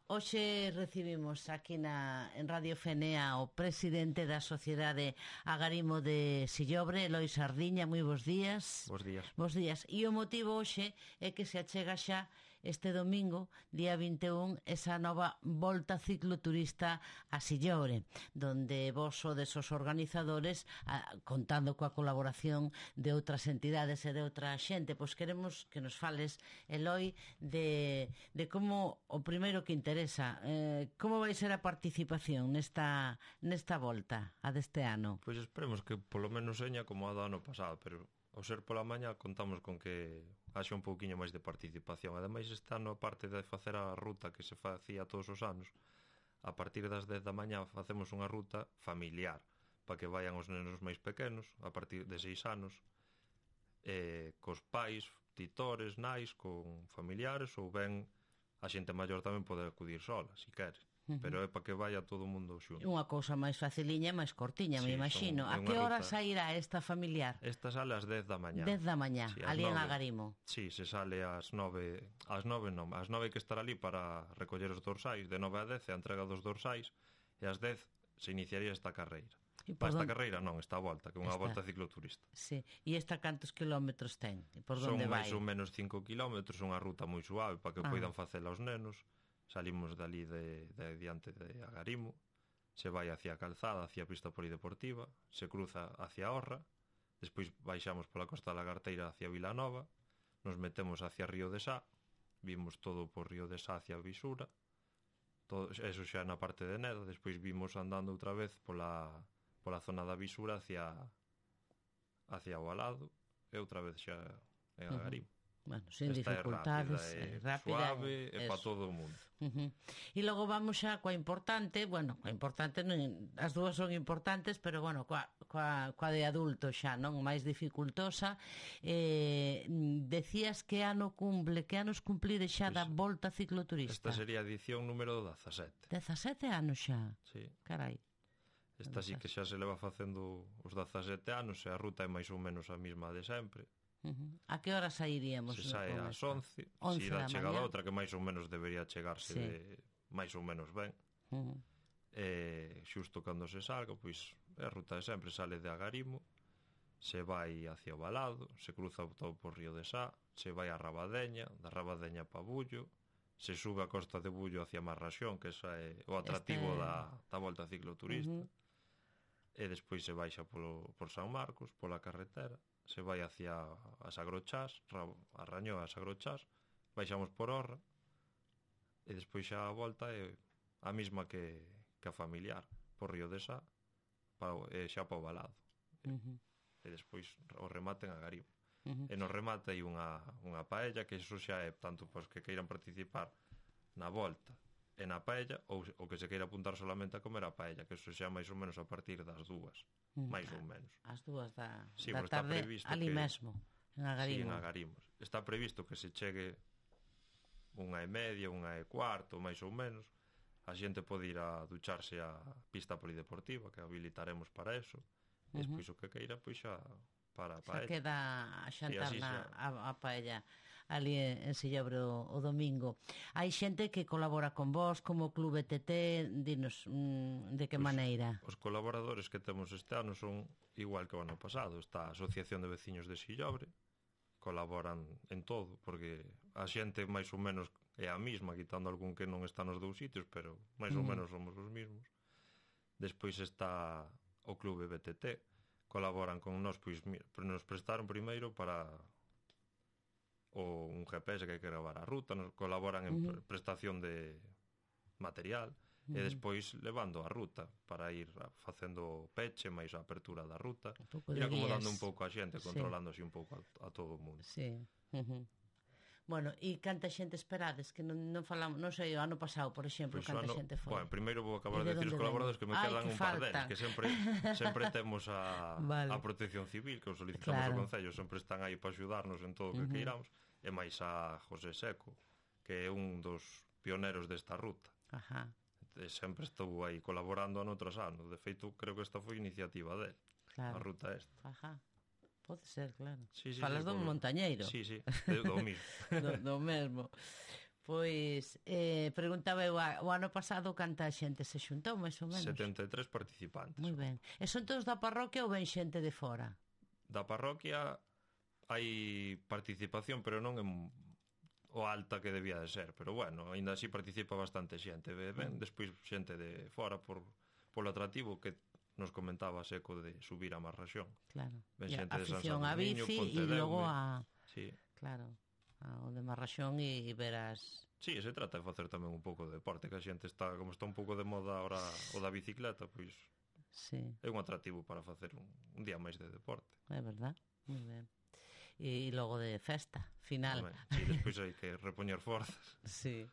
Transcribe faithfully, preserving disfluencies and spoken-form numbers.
Hoxe recibimos aquí na, en Radio Fenea o presidente da Sociedade Agarimo de Sillobre, Eloi Sardiña. Moi bons días. Bos días. Bos días. E o motivo hoxe é que se achega xa este domingo, día vinte e un, esa nova volta cicloturista a Sillobre, donde vos sodes os organizadores, a, contando coa colaboración de outras entidades e de outra xente. Pois queremos que nos fales, Eloi, de, de como o primeiro que interesa Eh, como vai ser a participación nesta nesta volta a deste ano? Pois esperemos que polo menos seña como a do ano pasado, pero ao ser pola mañá contamos con que haxa un pouquiño máis de participación. Ademais, este ano, aparte de facer a ruta que se facía todos os anos, a partir das dez da mañá facemos unha ruta familiar para que vayan os nenos máis pequenos a partir de seis anos, eh, cos pais, titores, nais, con familiares, ou ben a xente maior tamén pode acudir sola, se quere. Uh-huh. Pero é para que vaya todo o mundo xunto. Unha cousa máis faciliña, máis cortiña, sí, me imagino. A que hora sairá esta familiar? Esta sale ás dez da mañá. dez da mañá, sí, ali en Agarimo. Sí, se sale ás nove, ás nove non, ás nove que estar ali para recoller os dorsais, de nove a dez a entrega dos dorsais, e ás dez se iniciaría esta carreira. Para esta carreira non, esta volta, que é unha esta... volta cicloturista. Sí. E esta cantos kilómetros ten? E por Son onde vai? máis ou menos cinco kilómetros, unha ruta moi suave para que ah. poidan facela os nenos. Salimos dali de, de diante de Agarimo, se vai hacia a calzada, hacia a pista polideportiva, se cruza hacia Orra, despois baixamos pola Costa da Lagarteira hacia Vilanova, nos metemos hacia Río de Sá, vimos todo por Río de Sá hacia Visura, todo, eso xa na parte de Neda, despois vimos andando outra vez pola... pola zona da Visura hacia hacia o Alado e outra vez xa en Agarimo. Uh-huh. Bueno, sin esta dificultades, é rápida, é rápida, suave, é para todo o mundo. Uh-huh. E logo vamos xa coa importante, bueno, coa importante, non, as dúas son importantes, pero bueno, coa, coa, coa de adulto xa, non, máis dificultosa. Eh, decías que ano cumple, que anos cumplide xa pues, da volta cicloturista? Esta sería a edición número dezasete. dezasete anos xa? Sí. Carai. Esta sí que xa se leva facendo os dezasete anos e a ruta é máis ou menos a mesma de sempre. Uh-huh. A que hora sairíamos? Se sai ás once, se irá chegada outra que máis ou menos debería chegarse sí. de máis ou menos ben. Uh-huh. E xusto cando se salga, pois a ruta de sempre sale de Agarimo, se vai hacia o Valado, se cruza todo por Río de Sá, se vai a Rabadeña, da Rabadeña pa Bullo, se sube a Costa de Bullo hacia Marraxón, que esa é o atractivo este... da, da volta cicloturista. Uh-huh. E despois se baixa polo, por San Marcos, pola carretera, se vai hacia as Agrochás, a Rañó as Agrochás, baixamos por Orra, e despois xa a volta é a mesma que, que a familiar, por Río de Sá, pa, e xa pa o Valado. Uh-huh. E despois o remate en Agarimo. Uh-huh. E no remate hai unha, unha paella, que iso xa é tanto pois que queiran participar na volta e na paella, ou o que se queira apuntar solamente a comer a paella, que eso xa máis ou menos a partir das dúas, mm, máis ou menos. As dúas da, sí, da tarde, ali que, mesmo, en Agarimo. Sí, en Agarimo. Está previsto que se chegue unha e media, unha e cuarto, máis ou menos. A xente pode ir a ducharse a pista polideportiva, que habilitaremos para eso. E despois uh-huh. o que queira, pois xa para a paella. Xa queda a xantar sí, na, a, a paella ali en Sillobre o, o domingo. Hai xente que colabora con vos, como Club E T T, dinos mm, de que pues, maneira? Os colaboradores que temos este ano son igual que o ano pasado. Está a Asociación de Veciños de Sillobre, colaboran en todo, porque a xente máis ou menos é a mesma, quitando algún que non está nos dous sitios, pero máis ou mm. menos somos os mesmos. Despois está o Club B T T, colaboran con nós, pois nos prestaron primeiro para o un G P S que hai que gravar a ruta, nos colaboran en uh-huh. prestación de material uh-huh. e despois levando a ruta para ir facendo peche máis a apertura da ruta, ir acomodando un pouco a xente, sí. controlando así un pouco a, a todo o mundo. Sí. Uh-huh. Bueno, e canta xente esperades, que non, non falamos, non sei, o ano pasado, por exemplo, pues canta ano, xente foi. Bueno, primeiro vou acabar de decir os colaboradores que me Ay, quedan que un par deles, que sempre sempre temos a, vale. a Protección Civil, que os solicitamos claro. ao Concello, sempre están aí para axudarnos en todo o que uh-huh. queiramos, e máis a José Seco, que é un dos pioneros desta ruta. Ajá. E sempre estou aí colaborando en outros anos, de feito, creo que esta foi iniciativa dele, claro. a ruta esta. Ajá. Pode ser, claro. Sí, sí, Falas sí, dun por... montañeiro. Sí, sí, do mesmo. do, do mesmo. Pois, eh, preguntaba eu, o ano pasado canta xente se xuntou, máis ou menos? setenta e tres participantes. Moi ben. E son todos da parroquia ou ven xente de fora? Da parroquia hai participación, pero non en o alta que debía de ser, pero bueno, aínda así participa bastante xente. Ben, despois xente de fora por polo atractivo que nos comentaba Seco de subir a Marraxón. Claro. Ben xente de San Afición a bici e logo a... Sí. Claro. O de Marraxón e verás... Sí, se trata de facer tamén un pouco de deporte, que a xente está, como está un pouco de moda ahora o da bicicleta, pois sí. É un atractivo para facer un, un día máis de deporte. É verdad, moi ben. E logo de festa, final. Home, sí, despois hai que repoñer forzas. Sí.